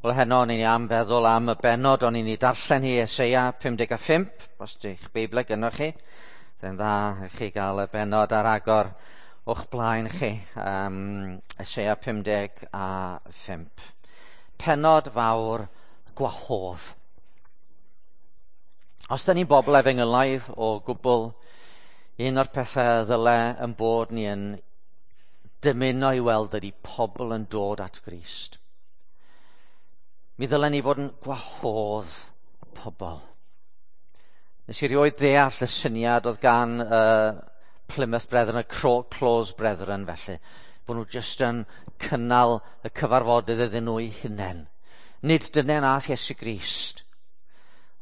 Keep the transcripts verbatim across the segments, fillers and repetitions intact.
Wel, heno o'n i'n am feddwl am y bennod o'n i'n ei darllen hi, Eseia pum deg a phump, os di'ch Beibl gynnoch chi. Fe'n dda i chi gael y bennod ar agor o'ch blaen chi. Um, Eseia pum deg a phump. Pennod fawr gwahodd. Os da ni'n bobl efengylaidd o gwbl, un o'r pethau ddyle yn bod ni yn dymuno i weld ydy pobl yn dod at Grist. Mi ddylen ni fod yn gwahodd pobl. Nes i rioed ddeall y syniad oedd gan uh, Plymouth Brethren, y Close Brethren felly, bod nhw jyst yn cynnal y cyfarfodydd iddyn nhw eu hunain. Nid dyna nath Iesu Grist.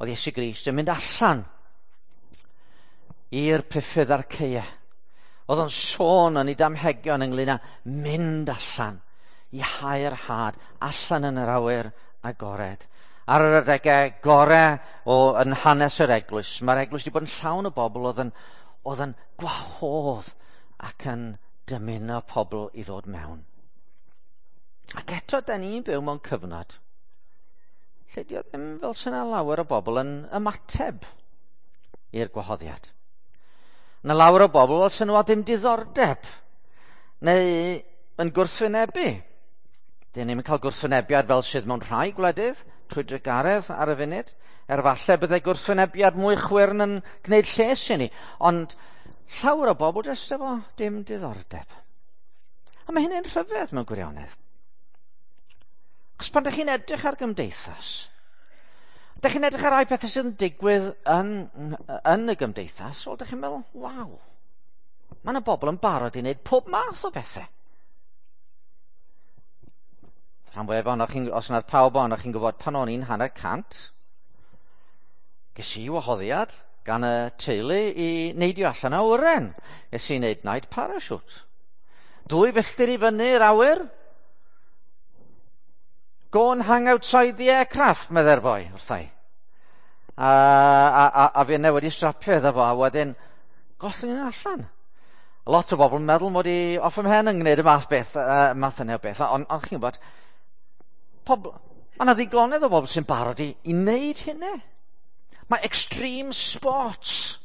Oedd Iesu Grist yn mynd allan i'r priffydd a'r caeau. Oedd o'n sôn yn ei damhegion ynglyn â mynd allan i hau'r had allan yn yr awyr agored. Ar yr adegau gorau o yn hanes yr eglwys, mae'r eglwys wedi bod yn llawn o bobl oedd yn, oedd yn gwahodd ac yn dymuno pobl i ddod mewn. Ac eto, da ni'n byw mewn cyfnod lle di o ddim fel sy'n lawer o bobl yn ymateb i'r gwahoddiad. Yna lawer o bobl fel sy'n nhw a dim diddordeb neu yn gwrthwynebu. Dyn ni'n cael gwrthwynebiad fel sydd mewn rhai gwledydd trwy drugaredd ar y funud. Er falle byddai gwrthwynebiad mwy chwyrn yn gwneud lles i ni. Ond llawer o bobl jyst efo dim diddordeb. A mae hynny'n rhyfedd mewn gwirionedd. Achos pan dych chi'n edrych ar gymdeithas, dych chi'n edrych ar rai pethau sydd yn digwydd yn, yn y gymdeithas, wel, dych chi'n meddwl, waw, mae yna bobl yn barod i wneud pob math o bethau. Rhan fwyaf ohonoch chi'n, os yna'r pawb ohonoch chi'n gwybod pan o'n i'n hanner cant, ges i wahoddiad gan y teulu i neidio allan o awyren. Ges i wneud night parachute. Dwy filltir i fyny'r awyr. Go and hang outside the aircraft, medde'r boi wrtha i. A, a, a, a fi yna wedi strapio iddo fo, a wedyn gollwng yn allan. Lot o bobl yn meddwl mod i off 'y mhen yn gwneud y math beth, uh, math yna o beth, ond on chi'n gwybod, pobl, mae yna ddigonedd o bobl sy'n barod i, i wneud hynny. Mae extreme sports.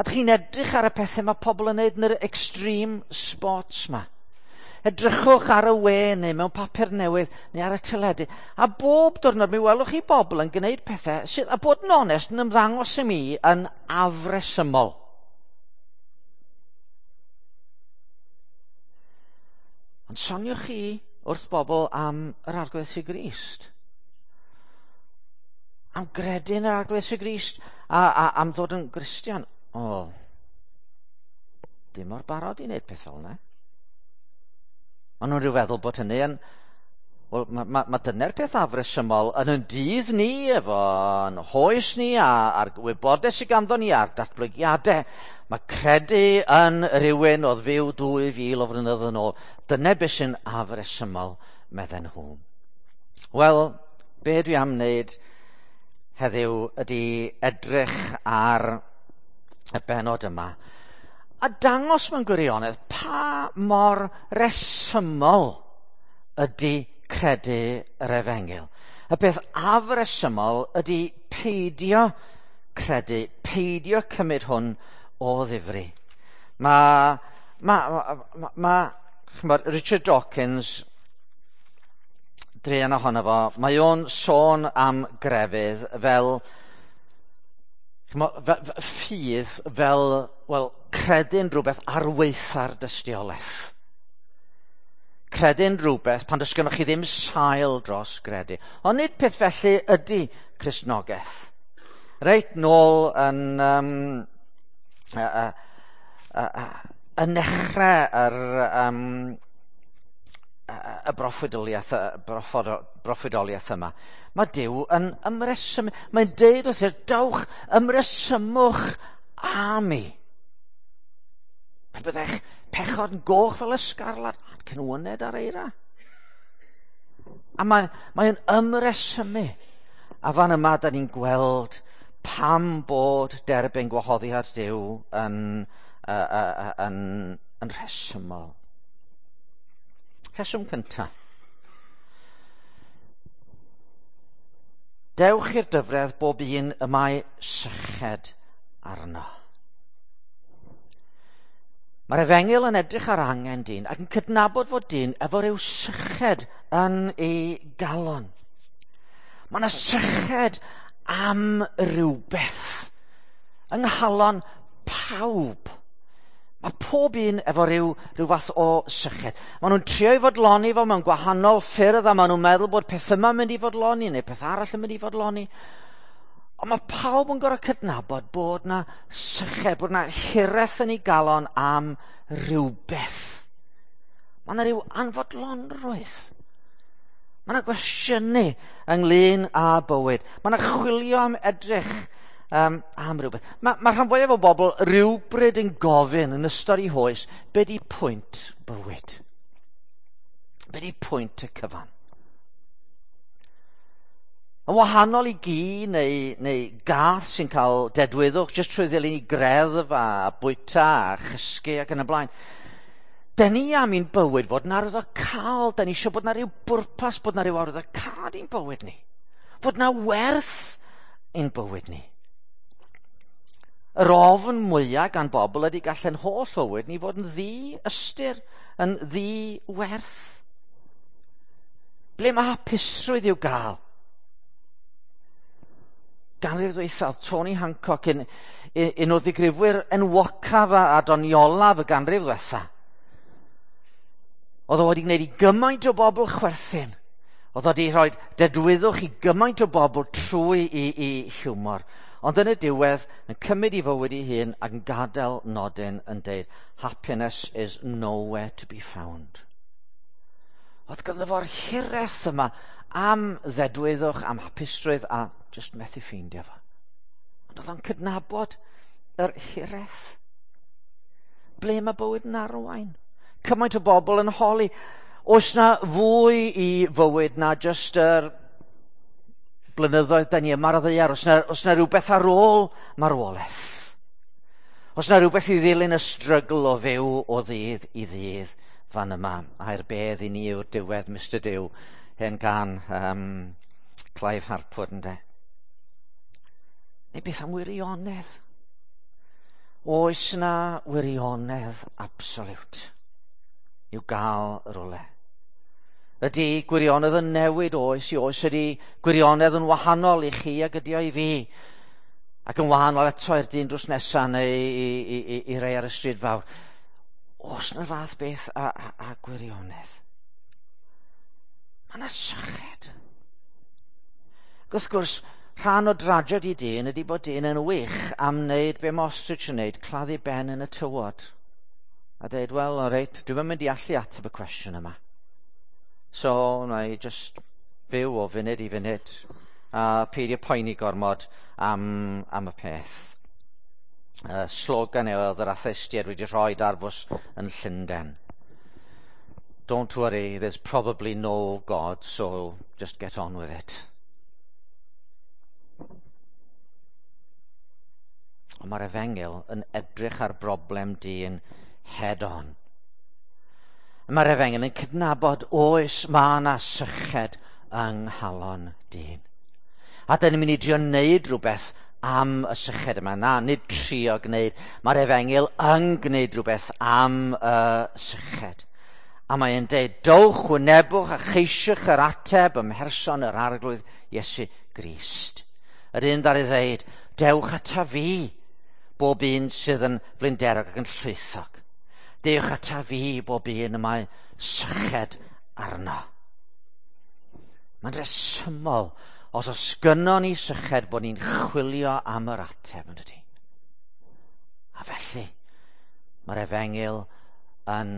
A dych chi'n edrych ar y pethau mae pobl yn wneud yn yr extreme sports ma. Edrychwch ar y we neu mewn papur newydd neu ar y teledu. A bob diwrnod mi welwch chi bobl yn gwneud pethau sydd, a bod yn onest, yn ymddangos i mi yn afresymol. Ond soniwch chi wrth bobl am yr Arglwydd Iesu Grist. Am gredu yn yr Arglwydd Iesu Grist a, a am ddod yn Gristion. O, dim mor barod i wneud peth fel yna. Maen nhw'n rhyw feddwl bod hynny yn... Wel, mae ma, ma dyna'r peth afresymol yn yn dydd ni, efo'n hoes ni, a, a'r wybodaeth sydd ganddo ni, a'r datblygiadau. Mae credu yn rhywun oedd fyw dwy fil o flynyddoedd yn ôl. Dyna beth sy'n afresymol, medden nhw. Wel, be dwi am wneud heddiw ydy edrych ar y bennod yma a dangos mewn gwirionedd pa mor resymol ydy credu yr efengyl. Y peth afresymol ydy peidio credu, peidio cymryd hwn o ddifri. Mae, ma, ma, ma, ch'mod, Richard Dawkins, druan ohono fo, mae o'n sôn am grefydd fel, ch'mod, fe, fe, ffydd fel, wel, credu'n rhywbeth ar waetha'r dystiolaeth. Credu'n rhywbeth pan does gynnoch chi ddim sail dros gredu. Ond nid peth felly ydy Cristnogaeth. Reit nôl yn, um, uh, uh, uh, uh, yn nechrau yr, um, y broffwydoliaeth, y broffwydoliaeth yma, mae Duw yn ymresymu. Mae'n deud wrth dawch, ymresymwch â mi. Pe byddech pechod yn goch fel y sgarlad, cynwyned ar eira. A mae, mae'n ymresymu. A fan yma, da ni'n gweld pam bod derbyn gwahoddiad Duw yn, uh, uh, yn, yn rhesymol. Rheswm cyntaf. Dewch i'r dyfredd bob un y mae syched arno. Mae'r efengyl yn edrych ar angen dyn ac yn cydnabod fod dyn efo ryw syched yn ei galon. Mae yna syched am rywbeth yng nghalon pawb. Mae pob un efo rhyw, rhyw fath o syched. Maen nhw'n trio i fodloni fo mewn gwahanol ffyrdd a maen nhw'n meddwl bod peth yma'n mynd i fodloni neu peth arall yn mynd i fodloni. Ond mae pawb yn gorfod cydnabod bod na syched, bod na hiraeth yn ei galon am rywbeth. Mae yna rhyw anfodlonrwydd. Mae yna gwestiynu ynglyn â bywyd. Mae yna chwilio am edrych um, am rhywbeth. Mae, mae rhan fwyaf o bobl rhywbryd yn gofyn yn ystod eu hoes, be di pwynt bywyd? Be di pwynt y cyfan? Yn wahanol i gi neu, neu gath sy'n cael dedwyddwch jyst trwy ddilyn i greddf a bwyta a chysgu ac yn y blaen. Den ni am i'n bywyd fod yn arwyddocaol, den ni eisiau bod na rhyw bwrpas, bod na rhyw arwyddocâd i'n bywyd ni. Fod na werth i'n bywyd ni. Yr ofn mwyaf gan bobl ydy gallen holl fywyd ni fod yn ddi-ystyr, yn ddi-werth. Ble mae hapusrwydd i'w gael? Ganrif ddwythaf, Tony Hancock, un, un o ddigrifwyr enwocaf a doniolaf y ganrif ddwetha. Oedd o wedi gwneud i gymaint o bobl chwerthin. Oedd o wedi rhoi dedwyddwch i gymaint o bobl trwy i, i hiwmor. Ond yn y diwedd, yn cymryd i fywyd ei hun ac yn gadael nodyn yn deud, happiness is nowhere to be found. Oedd ganddo fo'r hiraeth yma am ddedwyddwch, am hapusrwydd a just methu ffeindio fo. Ond oedd o'n cydnabod yr hiraeth. Ble mae bywyd yn arwain? Cymaint o bobl yn holi, oes na fwy i fywyd na just yr blynyddoedd da ni yma ar y ddaear? Oes na, oes na rhywbeth ar ôl marwolaeth? Oes na rhywbeth i ddilyn y strygl o fyw o ddydd i ddydd fan yma? A'r bedd i ni yw'r diwedd, Mister Duw, hen gan um, Clive Harpwood, ynde? Neu beth am wirionedd? Oes na wirionedd absolute i'w gael rhywle? Ydy gwirionedd yn newid oes i oes? Ydy gwirionedd yn wahanol i chi ac ydy o i fi? Ac yn wahanol eto i'r dyn drws nesaf neu i, i, i, i rei ar y stryd fawr. Oes na'r fath beth a, a, a gwirionedd? Mae yna syched. Ac wrth gwrs, rhan o dragedy dyn ydy bod dyn yn wych am wneud be mae ostrich yn wneud, claddu ben yn y tywod. A dweud, wel, o reit, dwi'm yn mynd i allu ateb y cwestiwn yma. So, na i just fyw o funud i funud a peidio poeni gormod am, am y peth. Uh, slogan oedd yr atheistiaid wedi rhoi ar fws yn Llundain. Don't worry, there's probably no God, so just get on with it. Ond mae'r efengyl yn edrych ar broblem dyn head on. Mae'r efengyl yn cydnabod oes mae yna syched yng nghalon dyn. A dyn ni'n mynd i drio wneud rhywbeth am y syched yma. Na, nid trio gwneud. Mae'r efengyl yn gwneud rhywbeth am y syched. A mae'n deud, dowch, wynebwch a cheisiwch yr ateb ym mherson yr Arglwydd Iesu Grist. Yr un ddaru ddeud, dewch ata fi, bob un sydd yn flinderog ac yn llwythog. Dewch ata fi, bob un y mae syched arno. Mae'n resymol, os oes gynnon ni syched, bod ni'n chwilio am yr ateb, yn dydi? A felly, mae'r efengyl yn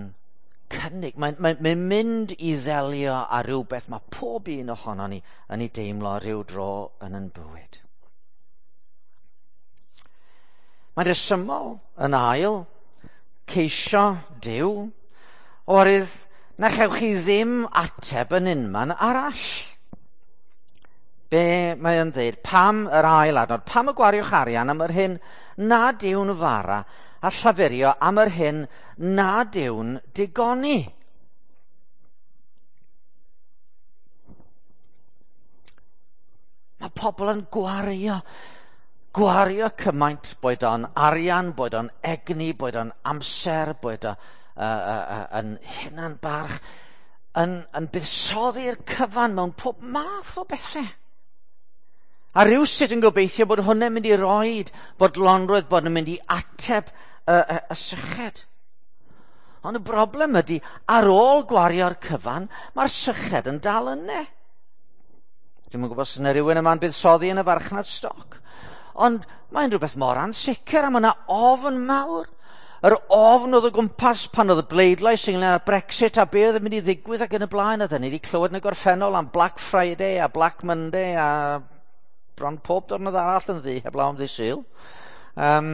cynnig, mae'n mae, mae mynd i ddelio â rhywbeth mae pob un ohono ni yn ei deimlo rhyw dro yn yn bywyd. Mae'n resymol yn ail ceisio Duw, oherwydd na chewch chi ddim ateb yn unman arall. Be mae yn dweud, pam yr ail adnod, pam y gwariwch arian am yr hyn nad yw'n fara a llafurio am yr hyn nad yw'n digoni? Mae pobl yn gwario, gwario cymaint, boed o'n arian, boed o'n egni, boed o'n amser, boed o'n uh, uh, uh, yn hunan barch, yn, yn buddsoddi'r cyfan mewn pob math o bethau. A rhywsut yn gobeithio bod hwnna'n mynd i roed bodlonrwydd, bod yn mynd i ateb y, y, y syched. Ond y broblem ydy, ar ôl gwario'r cyfan, mae'r syched yn dal yna. Dwi'm yn gwybod os yna rhywun yma'n buddsoddi yn y farchnad stoc. Ond mae'n rhywbeth mor ansicr a mae yna ofn mawr. Yr ofn oedd o gwmpas pan oedd y bleidlais ynglyn â Brexit a be oedd yn mynd i ddigwydd ac yn y blaen. Oedden ni wedi clywed yn y gorffennol am Black Friday a Black Monday a bron pob diwrnod arall yn ddu, heblaw am ddydd Sul. Um,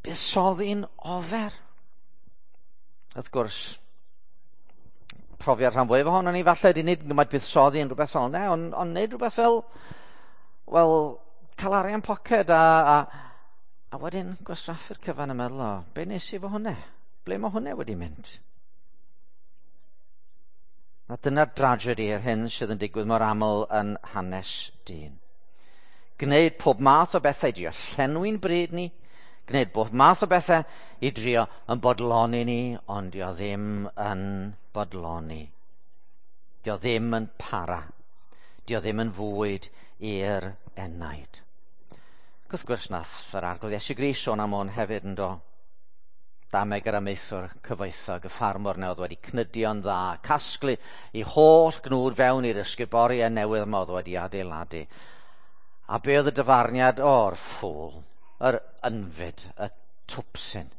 buddsoddi'n ofer. Wrth gwrs, profiad rhan fwyaf ohono ni falle ydy nid gymaint buddsoddi yn rhywbeth fel yna, ond, ond nid rhywbeth fel, wel, cael arian poced a, a, a wedyn gwastraffu'r cyfan yn meddwl, o, be nes i fo hwnna? Ble mae hwnna wedi mynd? A dyna'r dragedy yr hyn sydd yn digwydd mor aml yn hanes dyn. Gwneud pob math o bethau i drio llenwi'n bryd ni, gwneud pob math o bethau i drio yn bodloni ni, ond dio ddim yn bodloni. Dio ddim yn para. Dio ddim yn fwyd i'r enaid. Wrth gwrs nath yr Arglwydd Iesu Grist sôn am hwn hefyd yn do. Dameg yr amaethwr cyfoethog, y ffarmwr na oedd wedi cnydio'n dda, casglu i holl gnwd fewn i'r ysguboriau newydd yma oedd wedi adeiladu. A be oedd y dyfarniad? O'r ffŵl, yr ynfyd, y twpsyn.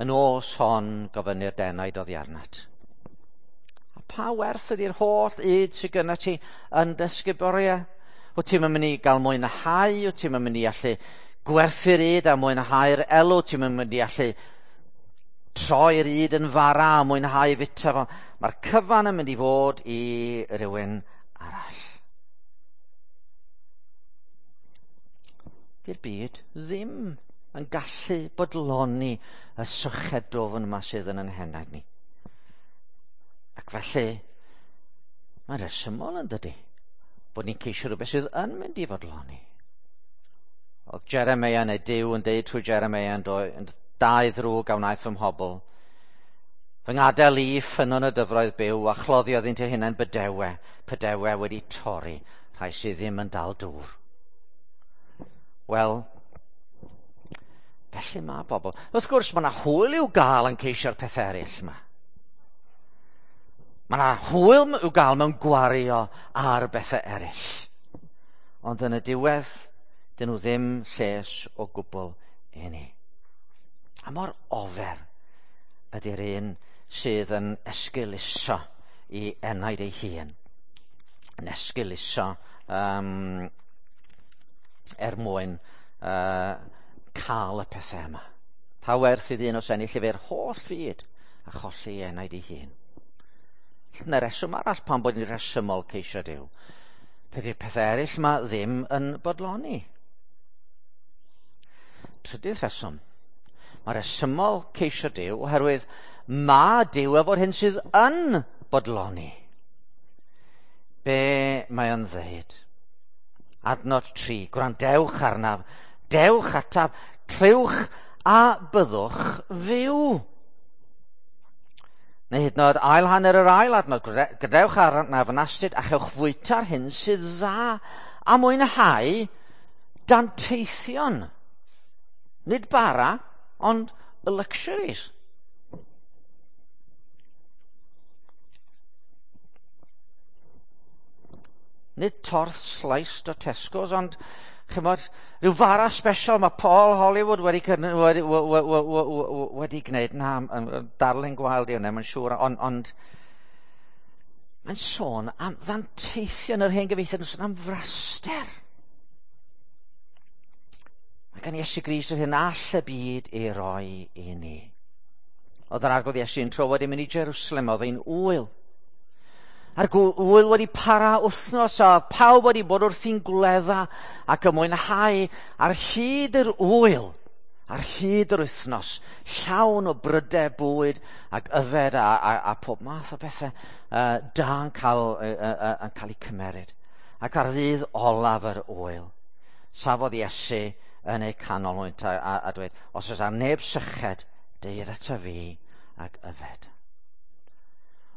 Yn os hon gofynnu'r denaid oddi arnat. A pa werth ydy'r holl yd sydd gyda ti yn dy ysguboriau? Wyt ti'n mynd i gael mwynhau, wyt ti'n mynd i allu gwerthu'r yd a mwynhau'r elw, ti'n mynd i allu troi'r yd yn fara a mwynhau fita fo. Mae'r cyfan yn mynd i fod i rywun arall. Di'r byd ddim yn gallu bodloni y syched dwfn yma sydd yn ein henaid ni. Ac felly, mae'n rhesymol yn dydi, bod ni'n ceisio rhywbeth sydd yn mynd i fodloni. Oedd Jeremia neu Duw yn deud trwy Jeremia yn doi, dau ddrwg a wnaeth fy mhobl. Fy ngadael i ffynnon y dyfroedd byw a chloddio iddynt eu hunain bydewe, pydewe wedi torri, rhai sydd ddim yn dal dŵr. Wel, felly mae bobl. Wrth gwrs, mae yna hwyl i'w gael yn ceisio'r pethau eraill yma. Mae yna hwyl i'w gael mewn gwario ar bethau eraill. Ond yn y diwedd, dyn nhw ddim lles o gwbl i ni. A mor ofer ydy'r un sydd yn esgeuluso i enaid ei hun. Yn esgeuluso um, er mwyn uh, cael y pethau yma. Pa werth i ddyn os ennill efo'r holl fyd a cholli enaid ei hun? Yna reswm arall pan bod ni'n rhesymol ceisio Duw. Dydy'r pethau eraill yma ddim yn bodloni. Trydydd rheswm. Mae rhesymol ceisio Duw oherwydd mae Duw efo'r hyn sydd yn bodloni. Be mae o'n ddeud? Adnod tri, gwrandewch arnaf, dewch ataf, clywch a byddwch fyw. Neu hyd yn oed ail hanner yr ail adnod, gadewch arnaf yn astud a chewch fwyta'r hyn sydd dda a mwynhau danteithion. Nid bara, ond y luxuries. Nid torth sliced o Tesco's, ond chymod, rhyw fara special mae Paul Hollywood wedi, wedi, wedi gwneud. Na, darlun gwael di hwnna, mae'n siŵr, ond, ond mae'n sôn am ddanteithion yr hen gyfieithiad, yn sôn am fraster. Mae gan Iesu Grist yr hyn all y byd ei roi i ni. Oedd yr Arglwydd Iesu yn tro wedi mynd i Jerusalem, oedd hi'n ŵyl. A'r ŵyl wedi para wythnos a oedd pawb wedi bod wrthi'n gwledda ac yn mwynhau ar hyd yr ŵyl. Ar hyd yr wythnos, llawn o brydau bwyd ac yfed a, a, a pob math o bethau uh, da yn cael, uh, uh, yn cael eu cymeryd. Ac ar ddydd olaf yr ŵyl, safodd Iesu yn eu canol hwynt a, a, a dweud, os oes ar neb syched, deued ata fi ac yfed.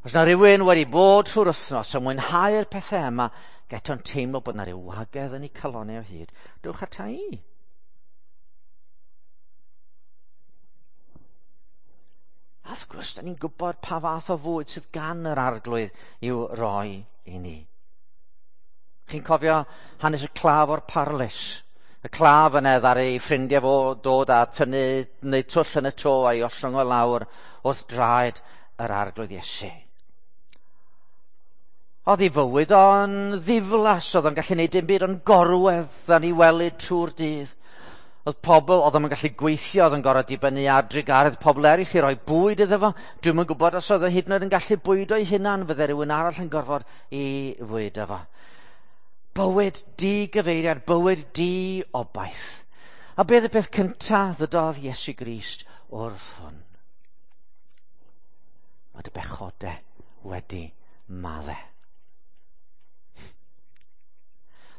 Os na rhywun wedi bod trwy'r wythnos yn mwynhau'r pethau yma, geto'n teimlo bod na ryw wagedd yn eu calonnau o hyd, dewch ata i. A wrth gwrs, da ni'n gwybod pa fath o fwyd sydd gan yr Arglwydd i'w roi i ni. Chi'n cofio hanes y claf o'r parlys? Y claf yna ddaru ei ffrindiau fo dod a tynnu neu twll yn y to a'i ollwng o lawr wrth draed yr Arglwydd Iesu. Oedd ei fywyd o'n ddiflas, oedd o'n gallu gwneud dim byd ond gorwedd yn ei wely trwy'r dydd. Oedd pobl, oedd o'n gallu gweithio, oedd yn gorfod dibynnu ar drugaredd pobl eraill i roi bwyd iddo fo. Dwi'm yn gwybod os oedd o hyd yn oed yn gallu bwydo ei hunan, fydde rhywun arall yn gorfod i fwydo fo. Bywyd digyfeiriad, bywyd di-obaith. A beth y peth cyntaf ddydodd Iesu Grist wrth hwn? Mae dy bechodau wedi maddau.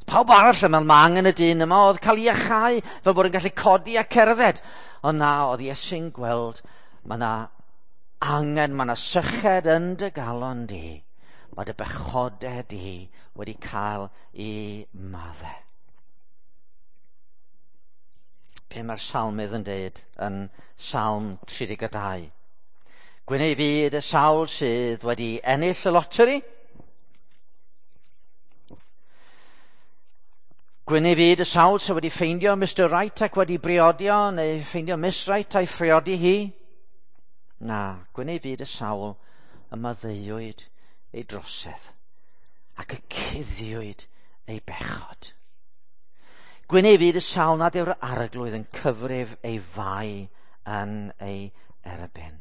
Pawb arall yn meddwl mae angen y dyn yma oedd cael ei iachau fel bod yn gallu codi a cerdded. Ond na, oedd Iesu'n gweld mae yna angen, mae yna syched yn dy galon di. Mae dy bechodau di wedi cael ei maddau. Be mae'r salmydd yn deud yn Salm tri deg dau? Gwyn ei fyd y sawl sydd wedi ennill y loteri. Gwyn ei fyd y sawl sydd wedi ffeindio Mister Wright ac wedi briodio, neu ffeindio Miss Wright a'i phriodi hi. Na, gwyn ei fyd y sawl y maddeuwyd ei drosedd ac y cuddiwyd ei bechod. Gwyn ei fyd y sawl nad yw'r Arglwydd yn cyfrif ei fai yn ei erbyn.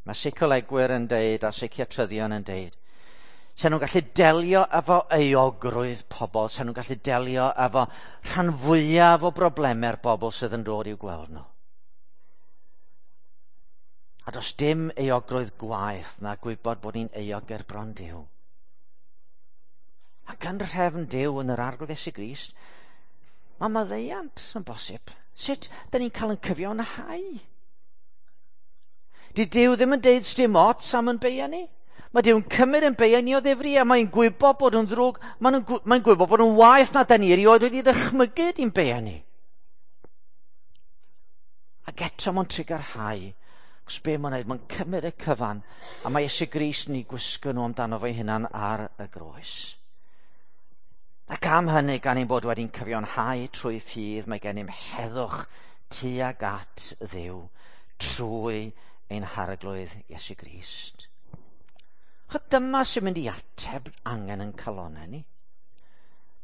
Mae seicolegwyr yn deud a seiciatryddion yn deud, sa'n nhw'n gallu delio efo euogrwydd pobl, sa'n nhw'n gallu delio efo rhan fwyaf o broblemau'r bobl sydd yn dod i'w gweld nhw. A does dim euogrwydd gwaeth na gwybod bod ni'n euog ger bron Duw. Ac yn rhefn Duw yn yr Arglwydd Iesu Grist, mae maddeuant yn bosib. Sut da ni'n cael yn cyfiawnhau? Di Duw ddim yn deud sdim ots am yn beia ni. Mae Duw'n cymryd yn beia ni o ddifri a mae'n gwybod bod yn ddrwg, mae'n mae gwybod bod yn waeth na da ni erioed wedi ddychmygu di'n beia ni. Ac eto mae'n trugarhau. Cos be mae'n neud, mae'n cymryd y cyfan a mae Iesu Grist yn ei gwisgo nhw amdano fo'i hunan ar y groes. Ac am hynny, gan ein bod wedi'n cyfiawnhau trwy ffydd, mae gennym heddwch tuag at Dduw trwy ein Harglwydd Iesu Grist. Chod dyma sy'n mynd i ateb angen yn calonnau ni.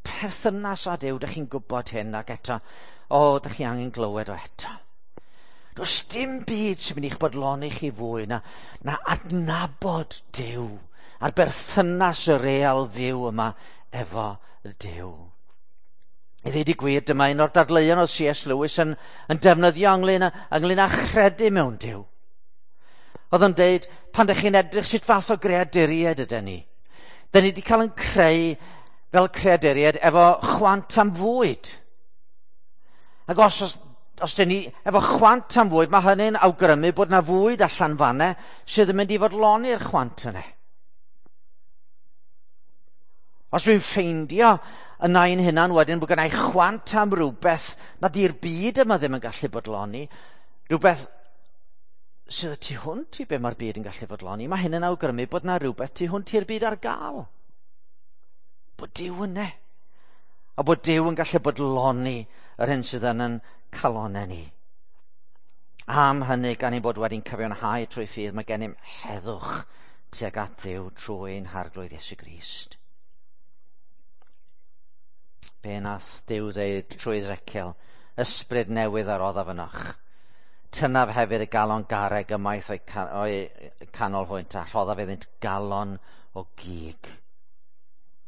Perthynas â Duw, dych chi'n gwybod hyn, ac eto, o, dych chi angen glywed o eto. Does dim byd sy'n mynd i'ch bodloni chi fwy na, na adnabod Duw a'r berthynas y real fyw yma efo Duw. I ddweud y gwir, dyma un o'r dadleuon oedd C S Lewis yn, yn defnyddio ynglyn â, ynglyn â chredu mewn Duw. Oedd o'n deud, pan dych chi'n edrych sut fath o greaduriaid ydyn ni, dyn ni wedi cael yn creu fel creaduriaid efo chwant am fwyd. Ac os, os, os dyn ni efo chwant am fwyd, mae hynny'n awgrymu bod na fwyd allan fanne sydd yn mynd i fodloni'r chwant yna. Os dwi'n ffeindio yna ein hunan wedyn bod gennai chwant am rhywbeth nad yw'r byd yma ddim yn gallu bodloni, rhywbeth sydd y tu hwnt i be mae'r byd yn gallu fodloni, mae hyn yn awgrymu bod na rhywbeth tu hwnt i'r byd ar gael. Bod Duw yna. A bod Duw yn gallu bodloni yr hyn sydd yn yn calonnau ni. Am hynny, gan ein bod wedi'n cyfiawnhau trwy ffydd, mae gennym heddwch tuag at Dduw trwy ein Harglwydd Iesu Grist. Be nath Duw ddeud trwy Ezekiel, ysbryd newydd a roddaf ynoch. Tynaf hefyd y galon garreg ymaith o'i can, o'i canol hwynt a rhoddaf iddynt galon o gig.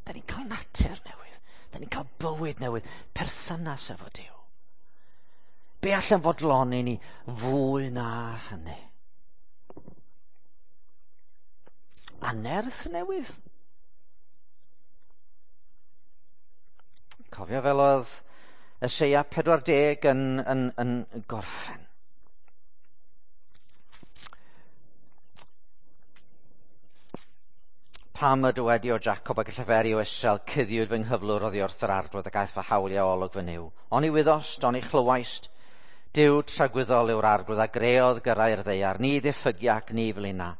Da ni'n cael natur newydd, da ni'n cael bywyd newydd, perthynas efo Duw. Be allan fodloni ni fwy na hynny? A nerth newydd. Cofio fel oedd Eseia pedwar deg yn, yn, yn gorffen. Pam y dywedi o Jacob ac y lleferi o Israel, cuddiwyd fy nghyflwr oddi wrth yr arglwydd ac aeth fy hawliau olwg fy Nuw. Oni wyddost, oni chlywaist, Duw tragwyddol yw'r arglwydd a greodd gyrrau'r ddaear, ni ddiffygia ac ni flina,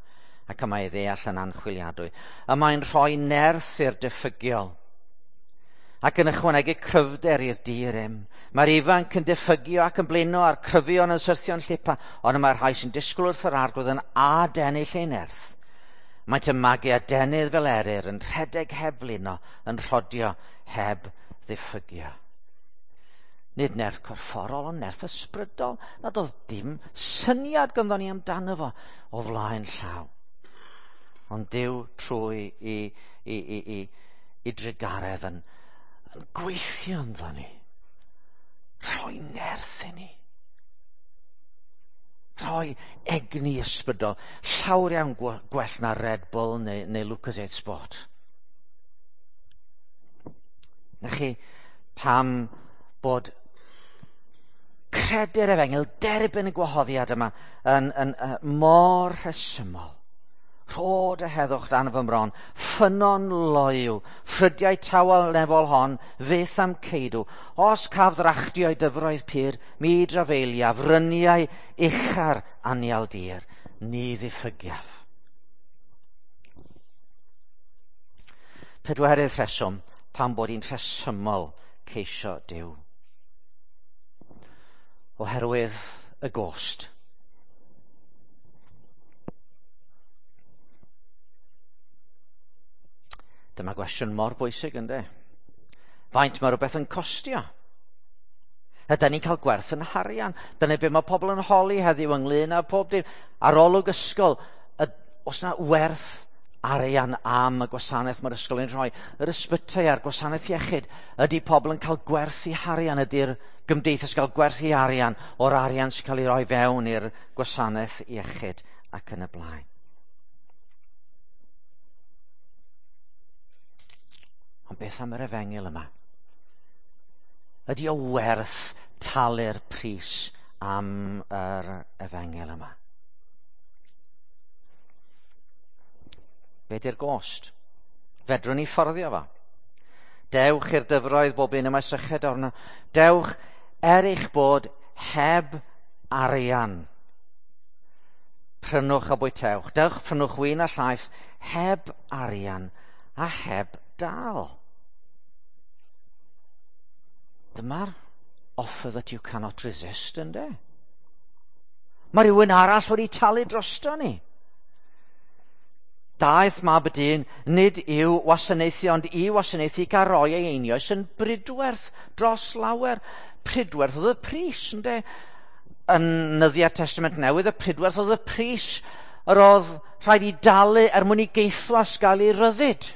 ac y mae ei ddeall yn anchwiliadwy. Y mae'n rhoi nerth i'r diffygiol, ac yn ychwanegu cryfder i'r di-rym. Mae'r ifanc yn diffygio ac yn blino a'r cryfion yn syrthio'n llipa, ond y mae'r rhai sy'n disgwyl wrth yr arglwydd yn adennill ei nerth. Maent yn magu adenydd fel eryr, yn rhedeg heb flino, yn rhodio heb ddiffygio. Nid nerth corfforol, ond nerth ysbrydol, nad oedd dim syniad ganddo ni amdano fo o flaen llaw. Ond Duw trwy i, i, i, i, i drugaredd yn, yn gweithio ynddo ni. Rhoi nerth i ni. Rhoi egni ysbrydol. Llawer iawn gwell na Red Bull neu, neu Lucozade Sport. Na chi, pam bod credu'r efengyl, derbyn y gwahoddiad yma yn, yn, yn mor rhesymol. Rhod y heddwch dan fy mron, ffynnon loyw, ffrydiau tawel nefol hon, fyth am ceidw. Os caf ddrachtio i dyfroedd pur, mi drafeiliaf, fryniau ucha'r anial dir, ni ddiffygiaf. Pedwerydd rheswm, pam bod hi'n rhesymol ceisio Duw. Oherwydd y gost. Dyma gwestiwn mor bwysig, ynddo? Faint mae rhywbeth yn costio? Ydy ni'n cael gwerth yn harian? Dyna be mae pobl yn holi heddiw ynglyn â pob dim. Arolwg ysgol, oes na werth arian am y gwasanaeth mae'r ysgol yn rhoi? Yr ysbytai a'r gwasanaeth iechyd, ydy pobl yn cael gwerth i harian? Ydy'r gymdeithas cael gwerth i arian o'r arian sy'n cael ei roi fewn i'r gwasanaeth iechyd ac yn y blaen? Ond beth am yr efengyl yma? Ydy o werth talu'r pris am yr efengyl yma? Be di'r gost? Fedrwn ni fforddio fo? Dewch i'r dyfroedd bob un y mae syched arno. Dewch er eich bod heb arian. Prynwch a bwytewch. Dewch prynwch win a llaeth heb arian a heb dal. Dyma'r offer that you cannot resist, ynddo? Mae rhywun arall wedi talu drosto ni. Daeth mab y dyn, nid i'w wasanaethu, ond i wasanaethu gael roi ei einioes yn bridwerth dros lawer. Pridwerth oedd y pris, ynddo? Yn nyddiau Testament Newydd, y pridwerth oedd y pris yr oedd rhaid i dalu er mwyn i geithwas gael ei ryddid.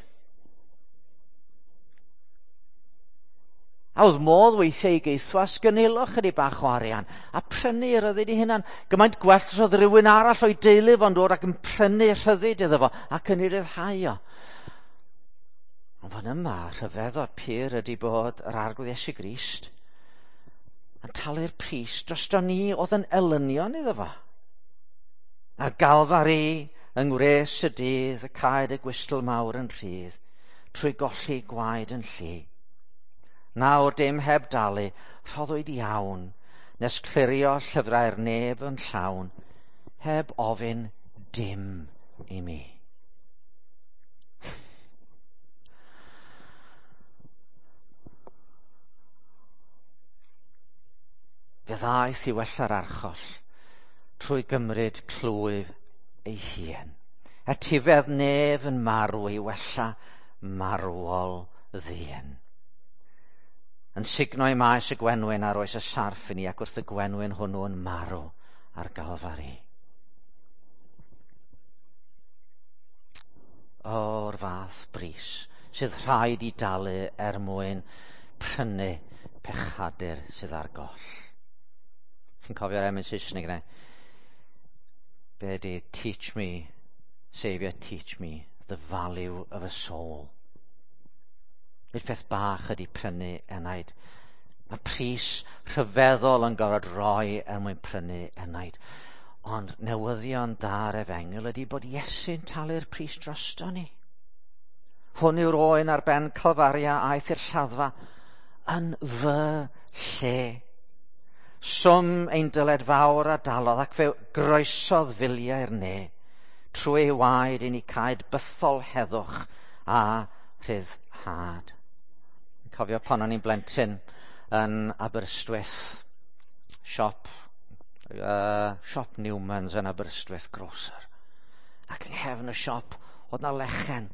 A oedd modd weithiau i geithwas gynilo chydig bach o arian a prynu rhyddid ei hunan. Gymaint gwell os oedd rhywun arall o'i deulu fo'n dod ac yn prynu rhyddid iddo fo ac yn ei ryddhau o. Ond fan yma, rhyfeddod pur ydy bod yr Arglwydd Iesu Grist yn talu'r pris drosto ni oedd yn elynion iddo fo. Ar Galfari, yng ngwres y dydd, y caed y gwystl mawr yn rhydd, trwy golli gwaed yn llu. Nawr dim heb dalu, rhoddwyd iawn, nes clirio llyfrau'r neb yn llawn, heb ofyn dim i mi. Fe ddaeth i wella'r archoll trwy gymryd clwyf ei hun. Etifedd nef yn marw i wella marwol ddyn. Yn sugno i maes y gwenwyn ar oes y sarff i ni, ac wrth y gwenwyn hwnnw yn marw ar Galfari. O'r fath bris sydd rhaid i dalu er mwyn prynu pechadur sydd ar goll. Chi'n cofio'r emyn Saesneg yna? Be ydi "Teach me, Saviour, teach me the value of a soul." Nid peth bach ydy prynu enaid. Mae pris rhyfeddol yn gorfod rhoi er mwyn prynu enaid. Ond newyddion da'r efengyl ydy bod Iesu'n talu'r pris drosto ni. Hwn yw'r oen ar ben Calfaria aeth i'r lladdfa yn fy lle. Swm ein dyled fawr a dalodd ac fe groesodd filiau'r ne. Trwy ei waed i ni caed bythol heddwch a rhyddhad. Cofio pan o'n i'n blentyn yn Aberystwyth, siop, uh, siop Newman's yn Aberystwyth Grocer. Ac yng nghefn y siop oedd na lechen.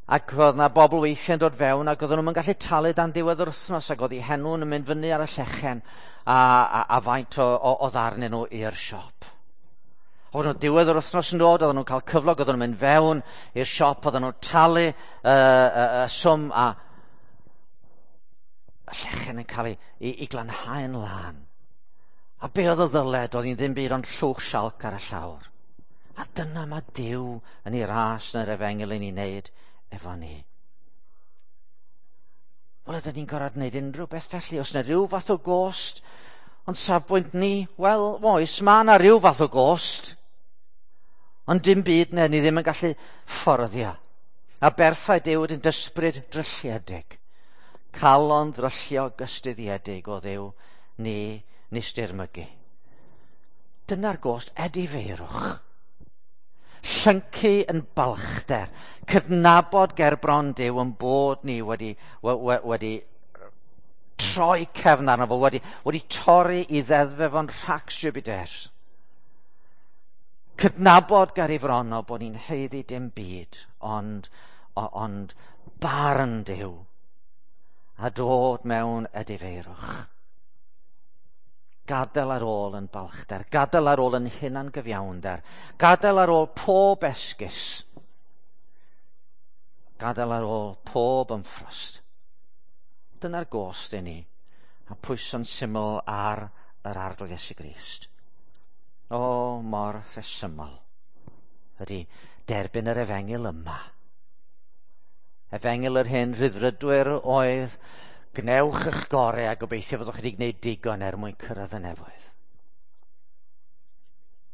Ac oedd na bobl weithiau'n dod fewn ac oedden nhw'n gallu talu dan diwedd yr wythnos ac oedd eu henw yn mynd fyny ar y llechen a, a, a faint o, o, o ddarnyn nhw i'r siop. Oedd nhw diwedd yr wythnos yn dod, oedden nhw'n cael cyflog, oedden nhw'n mynd fewn i'r siop, oedden nhw'n talu y uh, uh, uh, swm a y llechen yn cael ei, ei, ei glanhau'n lân. A be oedd y ddyled? Oedd hi'n ddim byd ond llwch sialc ar y llawr. A dyna mae Duw yn ei ras yn yr efengyl i ni wneud efo ni. Wel, ydyn ni'n gorfod gwneud unrhyw beth felly? Oes yna rhyw fath o gost? Ond safbwynt ni, wel, oes, mae yna rhyw fath o gost. Ond dim byd ne, ni ddim yn gallu fforddio. Aberthau Duw ydy'n ysbryd drylliedig. Calon ddrylliog gystuddiedig o Dduw ni nis dirmygu. Dyna'r gost edifeirwch. Llyncu yn balchder. Cydnabod ger bron Duw yn bod ni wedi, we, wedi troi cefn arno fo, wedi, wedi torri i ddeddfe fo'n rhacs Jupiter. Cydnabod ger ei fron o bod ni'n haeddu dim byd, ond, ond barn Duw a dod mewn edifeirwch. Gadael ar ôl yn balchder, gadael ar ôl yn hunan gyfiawnder, gadael ar ôl pob esgus, gadael ar ôl pob ymffrost. Dyna'r gost i ni, a pwyso'n syml ar yr Arglwydd Iesu Grist. O, mor rhesymol ydy derbyn yr efengyl yma. Efengyl yr hen rhyddfrydwyr oedd gnewch eich gorau a gobeithio fyddwch chi wedi gwneud digon er mwyn cyrraedd y nefoedd.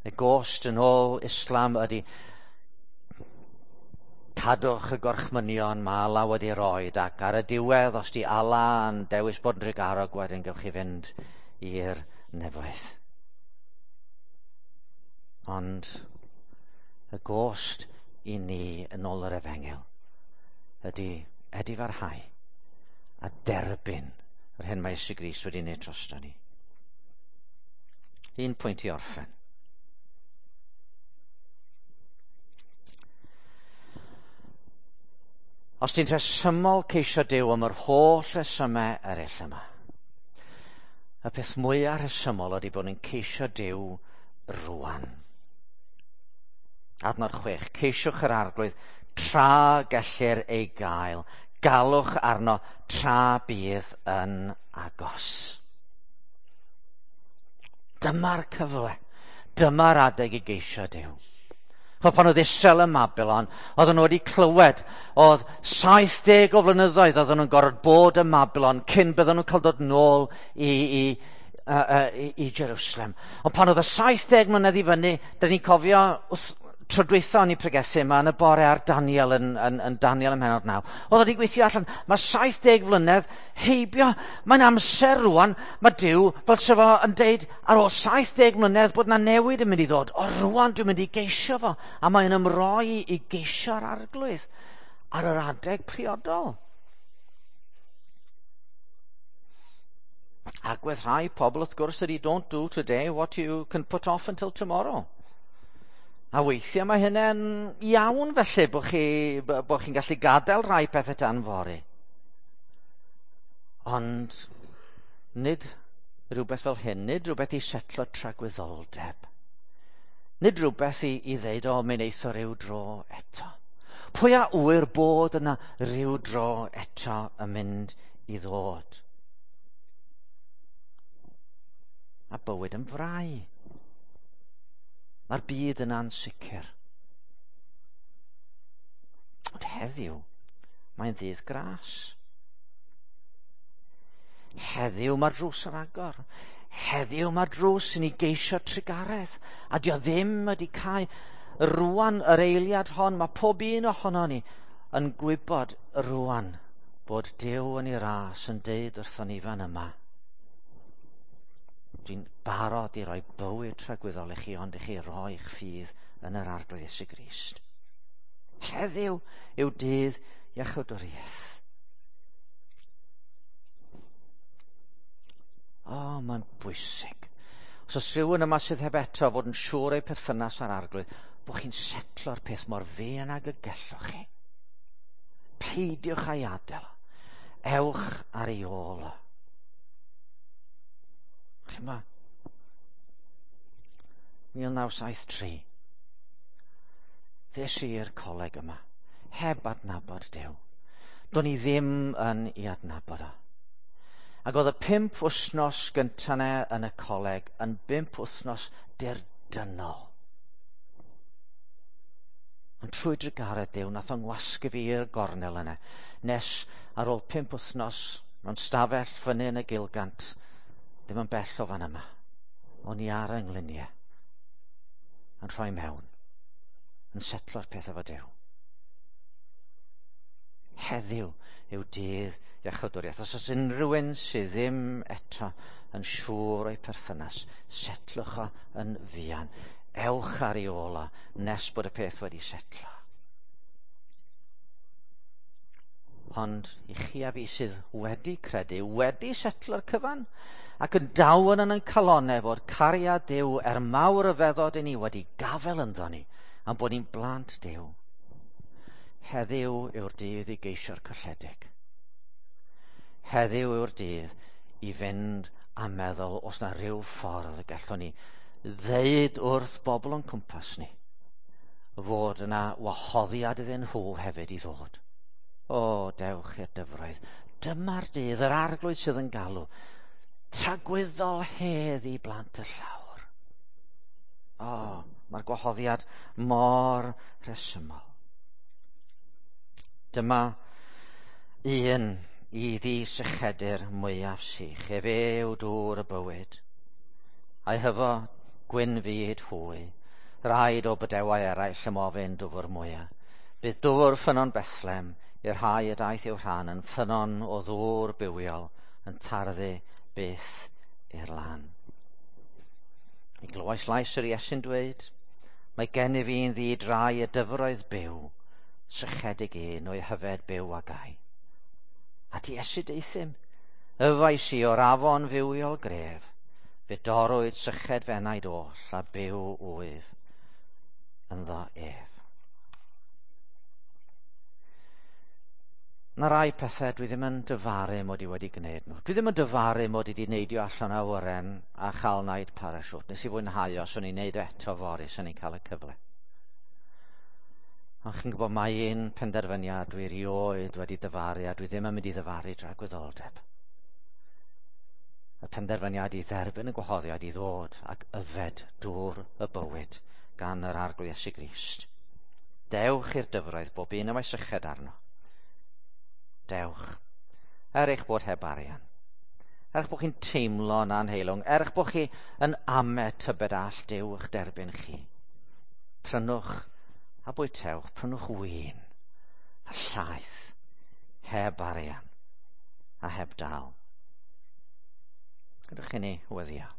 Y gost yn ôl Islam ydy cadwch y gorchmynion mae Allah wedi roed ac ar y diwedd os di Allah yn dewis bod yn drugarog wedyn gewch chi fynd i'r nefoedd. Ond y gost i ni yn ôl yr efengyl ydy edifarhau a derbyn yr hyn mae Iesu Grist wedi wneud drosto ni. Un pwynt i orffen. Os ti'n rhesymol ceisio Duw am yr holl resymau eraill yma, y peth mwyaf rhesymol ydy bod ni'n ceisio Duw rwan. Adnod chwech, ceisiwch yr Arglwydd tra gellir ei gael, galwch arno tra bydd yn agos. Dyma'r cyfle, dyma'r adeg i geisio Duw. Chos pan oedd Israel ym Mabilon, oedden nhw wedi clywed, oedd saith deg o flynyddoedd oedden nhw'n gorfod bod ym Mabilon cyn bydden nhw'n cael dod nôl i, i, i, i, i Jerusalem. Ond pan oedd y saith deg mlynedd i fyny, dyn ni'n cofio wrth tro dwytha o'n i pregethu yma yn y bore ar Daniel yn, yn, yn Daniel ym mhennod naw. Oedd wedi gweithio allan, mae saith deg flynedd heibio, mae'n amser rwan, mae Duw fel se fo yn deud ar ôl saith deg mlynedd bod na newid yn mynd i ddod. O rwan dwi'n mynd i geisio fo, a mae'n ymroi i geisio'r Arglwydd ar yr adeg priodol. Agwedd rhai pobl wrth gwrs ydy don't do today what you can put off until tomorrow. A weithiau mae hynny'n iawn felly bod chi, bod chi'n gallu gadael rhai pethau tan fory. Ond nid rhywbeth fel hyn, nid rhywbeth i setlo tragwyddoldeb. Nid rhywbeth i, i ddeud, o, mi wneith o ryw dro eto. Pwy a ŵyr bod yna ryw dro eto yn mynd i ddod? A bywyd yn frau. Mae'r byd yn ansicr. Ond heddiw, mae'n ddydd gras. Heddiw mae'r drws yn agor. Heddiw mae'r drws i ni geisio trugaredd. A dio ddim wedi cau. Rwan yr eiliad hon, mae pob un ohono ni yn gwybod rwan bod Duw yn ei ras yn deud wrthon ni fan yma. Dwi'n barod i roi bywyd tragwyddol i chi, ond i chi roi'ch ffydd yn yr Arglwydd Iesu Grist. Heddiw yw dydd iachawdwriaeth. O, oh, mae'n bwysig. Os oes rhywun yma sydd heb eto fod yn siŵr o'i perthynas â'r Arglwydd, bod chi'n setlo'r peth mor fuan ag y gellwch chi. Peidiwch â'i adael. Ewch ar ei ôl. Chyma, mil naw saith tri. Ddes i i'r coleg yma, heb adnabod Duw. Do'n i ddim yn ei adnabod o. Ac oedd y pump wythnos gyntaf 'na yn y coleg yn bump wythnos dirdynnol. Ond trwy drugaredd Duw, nath o'n ngwasgu fi i'r gornel yna, nes ar ôl pump wythnos mewn stafell fyny yn y Gilgant, ddim yn bell o fan yma, o'n i ar yng ngliniau, yn rhoi mewn, yn setlo'r peth efo Duw. Heddiw yw dydd iachawdwriaeth. Os oes unrhyw un sydd ddim eto yn siŵr o'i perthynas, setlwch o yn fuan. Ewch ar ei ôl o nes bod y peth wedi setlo. Ond i chi a fi sydd wedi credu, wedi setlo'r cyfan, ac yn dawn yn ein calonau fod cariad Duw er mawr ryfeddod i ni wedi gafel ynddo ni, am bod ni'n blant Duw. Heddiw yw'r dydd i geisio'r colledig. Heddiw yw'r dydd i fynd a meddwl os na rhyw ffordd y gallwn ni ddeud wrth bobl o'n cwmpas ni fod yna wahoddiad iddyn nhw hefyd i ddod. O, dewch i'r dyfroedd. Dyma'r dydd, yr Arglwydd sydd yn galw. Tragwyddol hedd i blant y llawr. O, mae'r gwahoddiad mor rhesymol. Dyma un i ddisychedu'r mwyaf sych. Efe yw dŵr y bywyd. A'i hyfo gwyn fyd hwy. Rhaid o bydewau eraill ymofyn dwfr mwyaf. Bydd dŵr ffynnon Bethlehem i'r rhai y daeth i'w rhan yn ffynnon o ddŵr bywiol yn tarddu byth i'r lan. Mi glywais lais yr Iesu'n dweud, mae gennyf un ddi-drai y dyfroedd byw, sychedig un o'i hyfed byw a gai. A ti Iesu deuthum, yfais i o'r afon fywiol gref, fe dorrwyd syched f'enaid oll a byw wyf ynddo ef. Na rai pethau dwi ddim yn dyfaru mod i wedi gwneud nhw. Dwi ddim yn dyfaru mod i wedi neidio allan o awyren a chael naid parachute. Nes i fwynhau os o'n i'n neud o eto fory, os o'n i'n cael y cyfle. Ond chi'n gwybod mae un penderfyniad dwi erioed wedi dyfaru a dwi ddim yn mynd i ddyfaru dragwyddoldeb. Y penderfyniad i dderbyn y gwahoddiad i ddod ac yfed dŵr y bywyd gan yr Arglwydd Iesu Grist. Dewch i'r dyfroedd bob un y mae syched arno. Dewch, er eich bod heb arian, er eich bod chi'n teimlo'n anheilwng, er eich bod chi yn ame tybed all Duw eich derbyn chi. Prynwch a bwytewch, prynwch win a llaeth, heb arian a heb dal. Gadewch i ni weddïo.